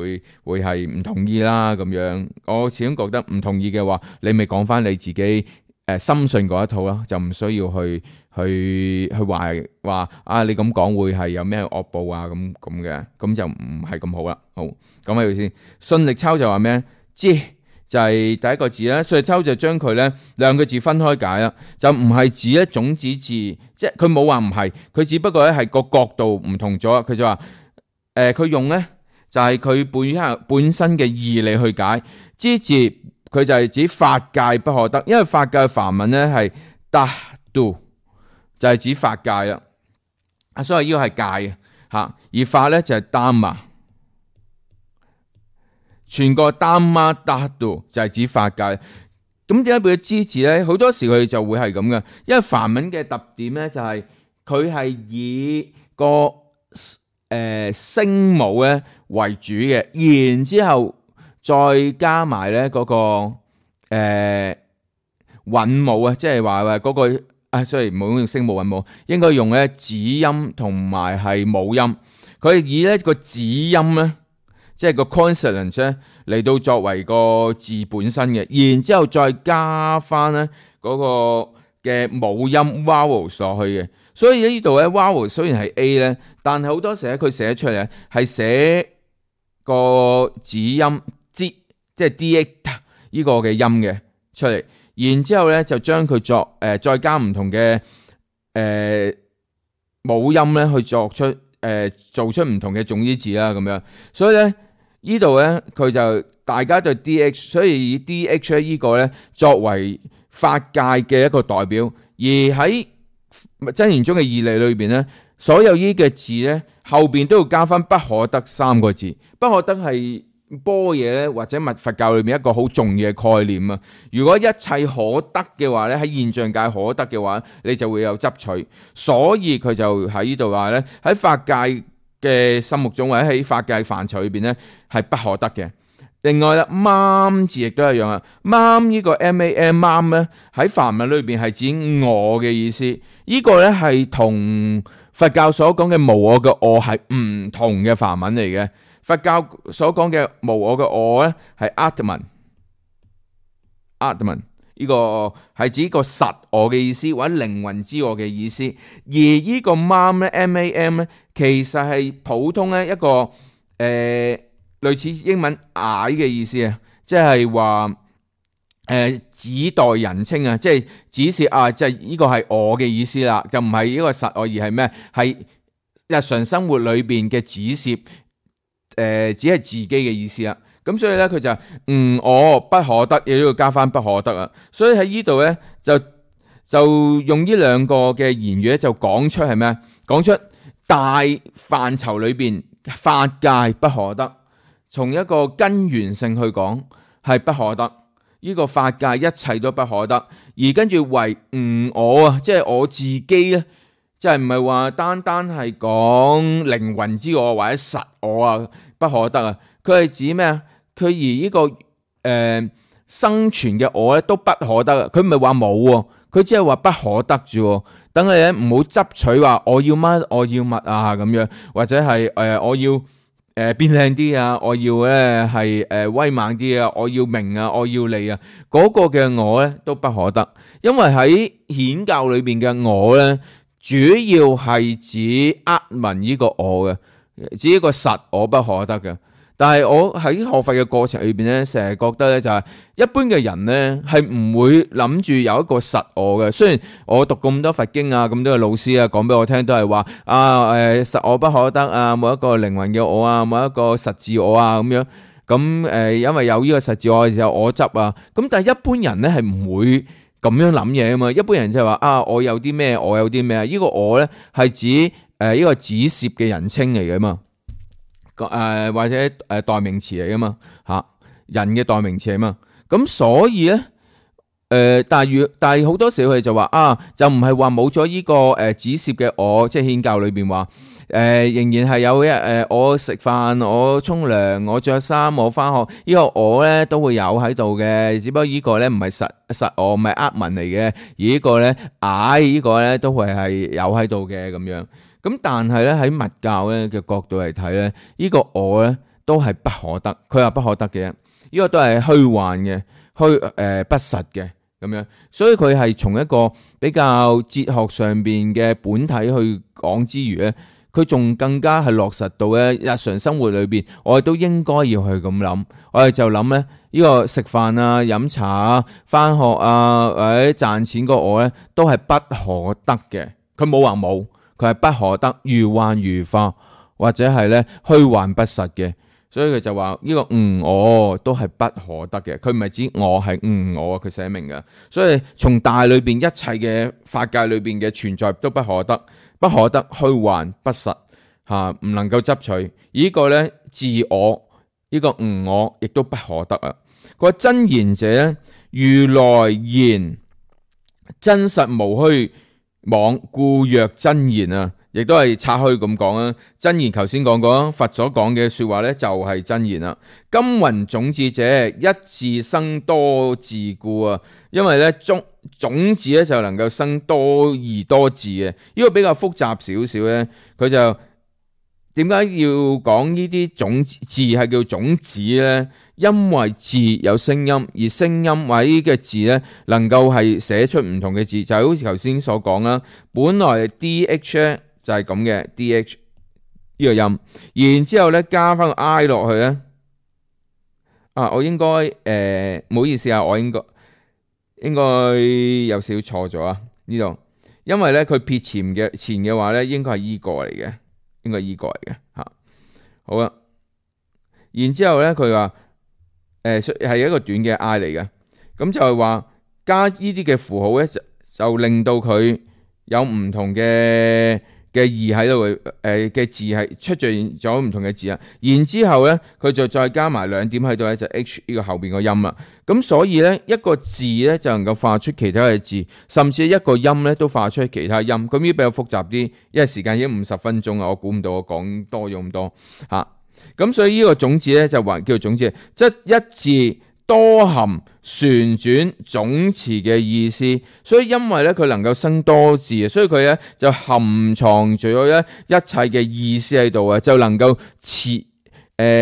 [SPEAKER 1] 會係唔同意啦咁樣。我始終覺得唔同意嘅話，你咪講翻你自己深信嗰一套啦，就唔需要去話啊你咁講會係有咩惡報啊咁嘅，咁就唔係咁好啦。好，講喺度先。信力抽就話咩？知就係第一個字啦。信力抽就將佢咧兩個字分開解啦，就唔係指咧種子字，即係佢冇話唔係，佢只不過咧係個角度唔同咗。佢就話佢用咧就係佢本身嘅義理去解。知字佢就係指法界不可得，因為法界嘅梵文咧係達度，就係指法界啦。所以呢個係界吓，而法咧就係丹馬，全個丹馬達度就係指法界。咁點解佢嘅之字咧？好多時佢就會係咁嘅，因為梵文嘅特點咧就係佢係以個聲母咧為主嘅，然之後再加埋咧嗰個韻母啊，即係話嗰個sorry，唔好用聲母韻母，應該用咧子音同埋係母音。佢以呢個子音咧，即係個 consonant 咧嚟到作為個字本身嘅，然之後再加翻咧嗰個嘅母音 vowels 落去嘅。所以呢度咧 vowels 雖然係 A 咧，但係好多時咧佢寫出嚟係寫個子音即係 dx 呢個嘅音嘅出嚟。然之後咧就將佢作再加唔同嘅母音咧去作出做出唔同嘅種子字啦咁樣，所以咧呢度咧佢就大家對 DH， 所以以 DH 呢個咧作為法界嘅一個代表，而喺真言中嘅義理裏邊咧，所有呢嘅字咧後邊都要加翻不可得三個字，不可得係般若咧或者密佛教裏面一個好重要嘅概念啊！如果一切可得嘅話咧，喺現象界可得嘅話，你就會有執取，所以佢就喺呢度話咧，喺法界嘅心目中或者喺法界範疇裏邊咧係不可得嘅。另外啦，mám字亦都一樣啊，mám呢個 mám 咧喺梵文裏邊係指我嘅意思，呢個咧係同佛教所講嘅無我嘅我係唔同嘅梵文嚟嘅。佛教所講嘅無我嘅我咧係 Atman， 呢個係指個實我嘅意思或者靈魂之我嘅意思，而呢個 mám 咧 mam 咧其實係普通咧一個類似英文I嘅意思啊，即係話指代人稱啊，即係指示啊，即係呢個係我嘅意思啦，就唔係呢個實我而係咩？係日常生活裏邊嘅指示。只係自己嘅意思啦，咁所以咧佢就我不可得，亦都要加翻不可得啊。所以喺呢度咧就用呢兩個嘅言語咧就講出係咩？講出大範疇裏邊法界不可得，從一個根源性去講係不可得。呢個法界一切都不可得，而跟住為我啊，即係我自己咧。即係唔係話單單係講靈魂之我或者實我啊不可得啊，佢係指咩啊？佢而呢個生存嘅我咧都不可得啊！佢唔係話冇喎，佢只係話不可得啫。等你咧唔好執取話我要乜我要乜啊咁樣，或者係我要變靚啲啊，我要咧係威猛啲啊，我要名啊，我要利啊，嗰個嘅我咧都不可得，因為喺顯教裏邊嘅我咧。主要係指Atman呢個我嘅，指一個實我不可得嘅。但係我喺學佛嘅過程裏邊咧，成日覺得咧就係一般嘅人咧係唔會諗住有一個實我嘅。雖然我讀咁多佛經啊，咁多嘅老師啊講俾我聽都係話實我不可得啊，冇一個靈魂嘅我啊，冇一個實自我啊咁樣。咁因為有呢個實自我有我執啊。咁但係一般人咧係唔會咁樣諗嘢啊嘛，一般人就係話我有啲咩，我有啲咩啊？呢個我咧係指呢個指涉嘅人稱嚟嘅嘛，或者代名詞嚟嘅嘛嚇，人嘅代名詞啊嘛。咁所以咧但係好多時佢哋就話就唔係話冇咗呢個指涉嘅我，即係顯教裏邊話仍然係有我食飯、我沖涼、我着衫、我翻學，呢個我咧都會有喺度嘅，只不過呢個咧唔係實我，唔係Atman嚟嘅，而呢個咧呢個咧都會係有喺度嘅咁樣。咁但係咧喺密教咧嘅角度嚟睇咧，呢個我咧都係不可得，佢話不可得嘅，呢個都係虛幻嘅、不實嘅咁樣。所以佢係從一個比較哲學上邊嘅本體去講之餘咧。佢仲更加係落實到咧日常生活裏邊，我哋都應該要去咁諗。我哋就諗咧呢個食飯啊、飲茶啊、翻學啊或者賺錢個我咧，都係不可得嘅。佢冇話冇，佢係不可得，如幻如化或者係咧虛幻不實嘅。所以佢就話呢個我都係不可得嘅，佢唔係指我係我，佢寫明嘅。所以從大裏邊一切嘅法界裏邊嘅存在都不可得，不可得，虛幻不實吓，唔能夠執取。而呢個咧自我呢個我亦都不可得啊。佢話真言者咧，如來言真實無虛妄，故曰真言啊。亦都係拆開咁講啊！真言頭先講過，佛所講嘅說話咧就係真言啦。金雲種子者，一字生多字故啊！因為咧種子咧就能夠生多而多字嘅，呢個比較複雜少少咧。佢就點解要講呢啲種字係叫種子咧？因為字有聲音，而聲音或者呢個字咧能夠係寫出唔同嘅字，就係好似頭先所講啦。本來 DH 咧就係咁嘅 DH 呢個音，然之後咧加翻個 I 落去咧，我應該唔好意思啊，我應該有少少錯咗啊呢度，因為咧佢撇前嘅話咧應該係依個嚟嘅，應該係依個嚟嘅吓。好啦，然之後咧佢話係一個短嘅 I 嚟嘅，咁就係話加呢啲嘅符號咧就令到佢有唔同嘅義喺度嘅字係出現咗唔同嘅字啊，然之後咧佢就再加埋兩點喺度咧，就 H 呢個後邊個音啦。咁所以咧一個字咧就能夠化出其他嘅字，甚至一個音咧都化出其他音。咁呢比較複雜啲，因為時間已經50分鐘啦，我估唔到我講多咗咁多吓。咁所以呢個種子咧就還叫做種子，即係一字多含旋轉總詞嘅意思，所以因為咧佢能夠生多字，所以佢咧就含藏住咗咧一切嘅意思喺度啊，就能夠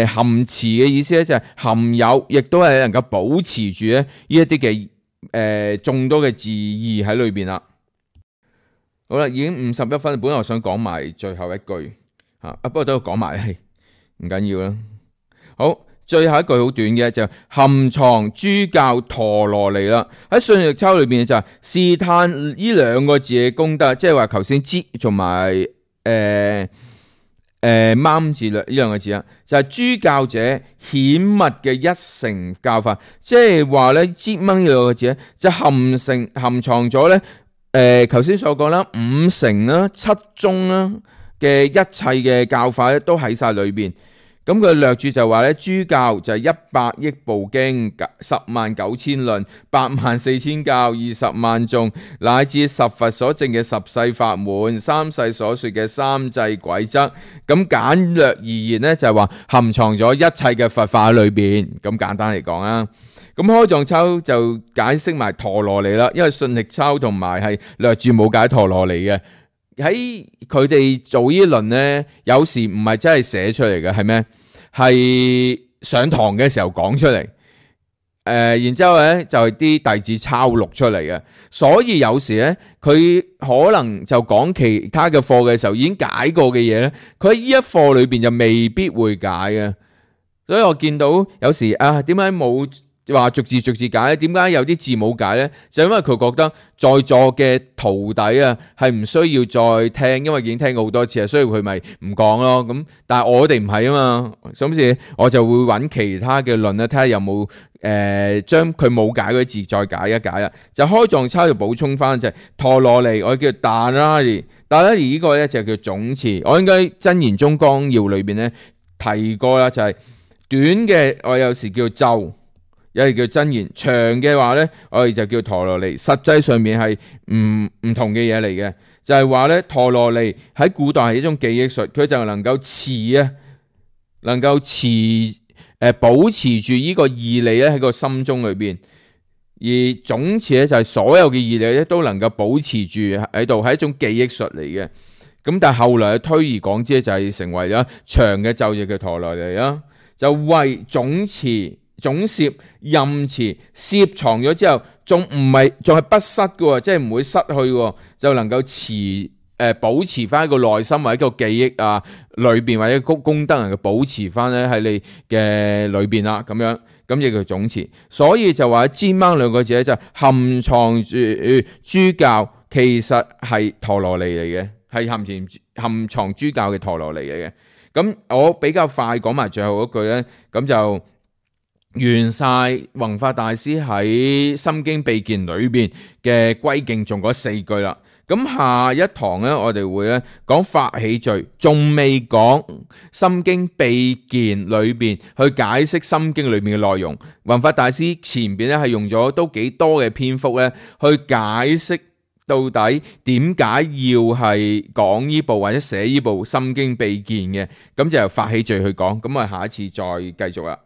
[SPEAKER 1] 含持嘅意思咧就係含有，亦都係能夠保持住咧呢一啲嘅眾多嘅字義喺裏邊啦。好啦，已經51分，本來我想講埋最後一句不過都要講埋係唔緊要啦。好。最後一句好短嘅就含藏諸教陀羅尼啦，喺信力抄裏邊就係試探呢兩個字嘅功德，即係話頭先知同埋啱字呢兩個字啊，就係諸教者顯密嘅一乘教法，即係話咧知掹呢兩個字咧就含藏咗咧頭先所講啦五乘啦七宗啦嘅一切嘅教法咧都喺晒裏邊。咁佢略注就話咧，諸教就係100億部經、109000論、84000教、20萬頌，乃至十佛所證嘅十世法門、三世所說嘅三際軌則。咁簡略而言咧，就係話含藏咗一切嘅佛法喺裏邊。咁簡單嚟講啊，咁開藏抄就解釋埋陀羅尼啦，因為信力抄同埋係略注冇解陀羅尼嘅。喺佢哋做呢輪咧，有時唔係真係寫出嚟嘅，係咩？係上堂嘅時候講出嚟，然之後咧就係啲弟子抄錄出嚟嘅，所以有時咧佢可能就講其他嘅課嘅時候已經解過嘅嘢咧，佢喺呢一課裏邊就未必會解嘅，所以我見到有時點解冇話逐字解咧？點解有啲字冇解咧？就因為佢覺得在座嘅徒弟係唔需要再聽，因為已經聽過好多次，所以佢咪唔講咯。咁但係我哋唔係啊嘛，所以我就會揾其他嘅論咧，睇下有冇將佢冇解嗰啲字再解一解啦。就開藏抄就補充翻就係陀羅尼，我叫達拉尼呢個咧就叫總詞。我應該真言宗綱要裏邊咧提過啦，就係短嘅我有時叫咒。有啲叫真言，長嘅話咧，我哋就叫陀羅尼。實際上面係唔同嘅嘢嚟嘅，就係話咧，陀羅尼喺古代係一種記憶術，佢就能夠保持住呢個義理咧喺個心中裏邊。而總詞咧就係所有嘅義理咧都能夠保持住喺度，係一種記憶術嚟嘅。咁但係後來推而廣之就係成為咗長嘅咒語嘅陀羅尼啦，就為總詞。總攝任詞攝藏咗之後，仲係不失嘅，即係唔會失去，就能夠保持翻一個內心或者一個記憶裏邊或者功德能夠保持翻咧喺你嘅裏邊啦，咁樣咁亦叫總詞。所以就話尖掹兩個字咧就含藏住諸教，其實係陀羅尼嚟嘅，係含藏諸教嘅陀羅尼嚟嘅。咁我比較快講埋最後嗰句咧，咁就完晒弘法大師喺心經秘鍵裏邊嘅歸敬頌嗰4句啦。咁下一堂咧，我哋會咧講法喜序，仲未講心經秘鍵裏邊去解釋心經裏面嘅內容。弘法大師前邊咧係用咗都幾多嘅篇幅咧去解釋到底點解要係講呢部或者寫呢部心經秘鍵嘅。咁就由法喜序去講。咁我下一次再繼續啦。